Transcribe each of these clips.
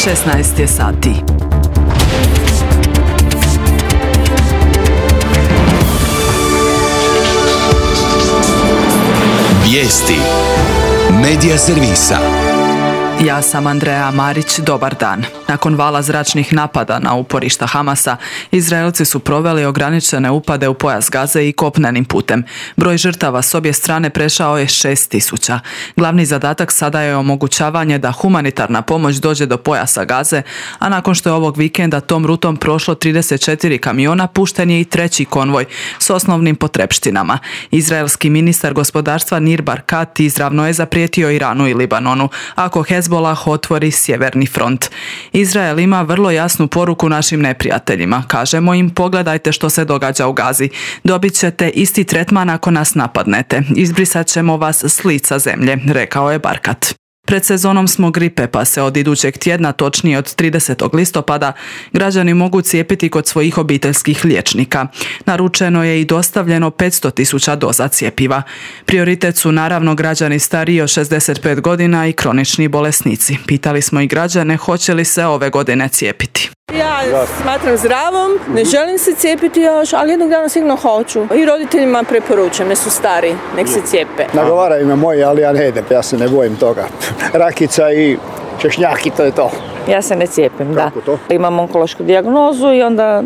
16 je sati. Vijesti Medija servisa. Ja sam Andreja Marić, dobar dan. Nakon vala zračnih napada na uporišta Hamasa, Izraelci su proveli ograničene upade u pojas Gaze i kopnenim putem. Broj žrtava s obje strane prešao je 6.000. Glavni zadatak sada je omogućavanje da humanitarna pomoć dođe do pojasa Gaze, a nakon što je ovog vikenda tom rutom prošlo 34 kamiona, pušten je i treći konvoj s osnovnim potrepštinama. Izraelski ministar gospodarstva Nir Barkat izravno je zaprijetio Iranu i Libanonu ako Hezbolah otvori sjeverni front. Izrael ima vrlo jasnu poruku našim neprijateljima. Kažemo im, pogledajte što se događa u Gazi. Dobit ćete isti tretman ako nas napadnete. Izbrisat ćemo vas s lica zemlje, rekao je Barkat. Pred sezonom smo gripe, pa se od idućeg tjedna, točnije od 30. listopada, građani mogu cijepiti kod svojih obiteljskih liječnika. Naručeno je i dostavljeno 500.000 doza cjepiva. Prioritet su naravno građani stariji od 65 godina i kronični bolesnici. Pitali smo i građane hoće li se ove godine cijepiti. Ja smatram zdravom, ne želim se cijepiti još, ali jednog dana sigurno hoću. I roditeljima preporučujem, ne su stari, nek se cijepe. Nagovaraju me moji, ali ja ne idem, ja se ne bojim toga. Rakica i češnjaki, to je to. Ja se ne cijepim, da. Kako to? Imam onkološku dijagnozu i onda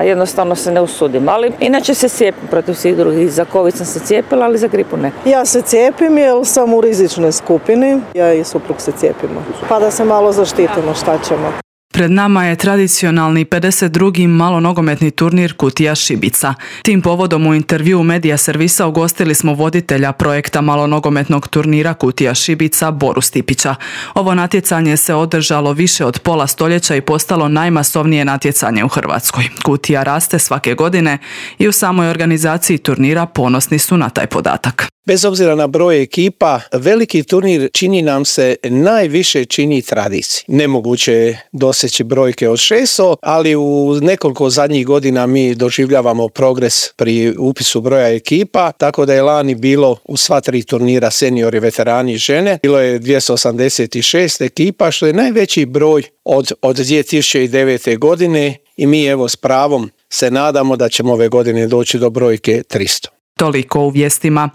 jednostavno se ne usudim. Ali inače se cijepim protiv svih drugih. Za COVID sam se cijepila, ali za gripu ne. Ja se cijepim jer sam u rizičnoj skupini. Ja i suprug se cijepimo. Pa da se malo zaštitimo, šta ćemo. Pred nama je tradicionalni 52. malonogometni turnir Kutija Šibica. Tim povodom u intervjuu Medija servisa ugostili smo voditelja projekta malonogometnog turnira Kutija Šibica Boru Stipića. Ovo natjecanje se održalo više od pola stoljeća i postalo najmasovnije natjecanje u Hrvatskoj. Kutija raste svake godine i u samoj organizaciji turnira ponosni su na taj podatak. Bez obzira na broj ekipa, veliki turnir čini nam se najviše čini tradiciji. Nemoguće je doseći brojke od 600, ali u nekoliko zadnjih godina mi doživljavamo progres pri upisu broja ekipa, tako da je lani bilo u sva 3 turnira seniori, veterani i žene. Bilo je 286 ekipa, što je najveći broj od 2009. godine i mi evo s pravom se nadamo da ćemo ove godine doći do brojke 300. Toliko u vijestima.